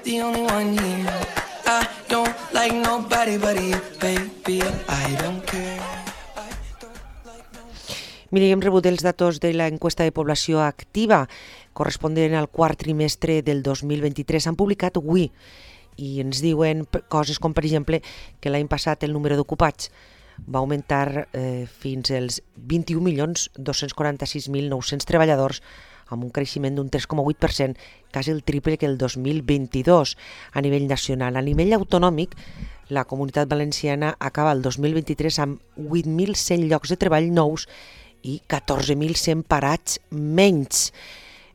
the only one here. I don't like nobody but you, baby. I don't care. Mira, hem rebut els datos de l'enquesta de població activa corresponent al quart trimestre del 2023. S'han publicat avui i ens diuen coses com, per exemple, que l'any passat el número d'ocupats va augmentar fins als 21.246.900 treballadors, amb un creixement d'un 3,8%, quasi el triple que el 2022 a nivell nacional. A nivell autonòmic, la Comunitat Valenciana acaba el 2023 amb 8.100 llocs de treball nous i 14.100 parats menys.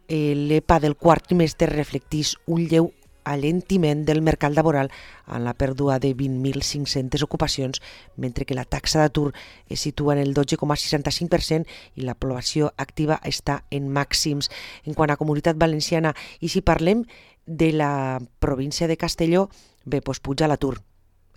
L'EPA del quart trimestre reflecteix un lleu alentiment del mercat laboral en la pèrdua de 20.500 ocupacions, mentre que la taxa d'atur es situa en el 12,65% i la població activa està en màxims. En quant a Comunitat Valenciana, i si parlem de la província de Castelló, bé, doncs puja l'atur.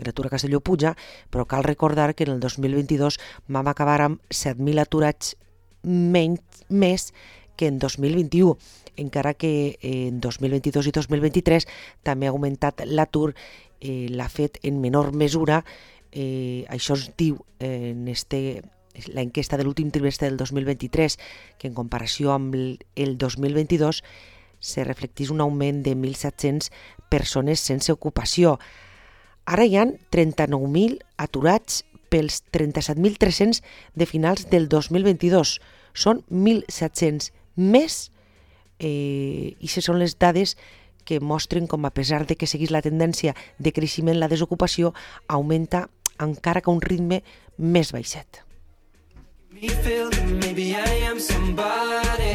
L'atur a Castelló puja, però cal recordar que en el 2022 vam acabar amb 7.000 aturats més que en 2021, encara que en 2022 i 2023 també ha augmentat l'atur, l'ha fet en menor mesura. Això es diu en l'enquesta de l'últim trimestre del 2023, que en comparació amb el 2022 se reflecteix un augment de 1.700 persones sense ocupació. Ara hi ha 39.000 aturats pels 37.300 de finals del 2022. Són 1.700 més i aquestes són les dades que mostren com, a pesar de que seguís la tendència de creixement, la desocupació augmenta encara que a un ritme més baixet. Me feel that maybe I am somebody.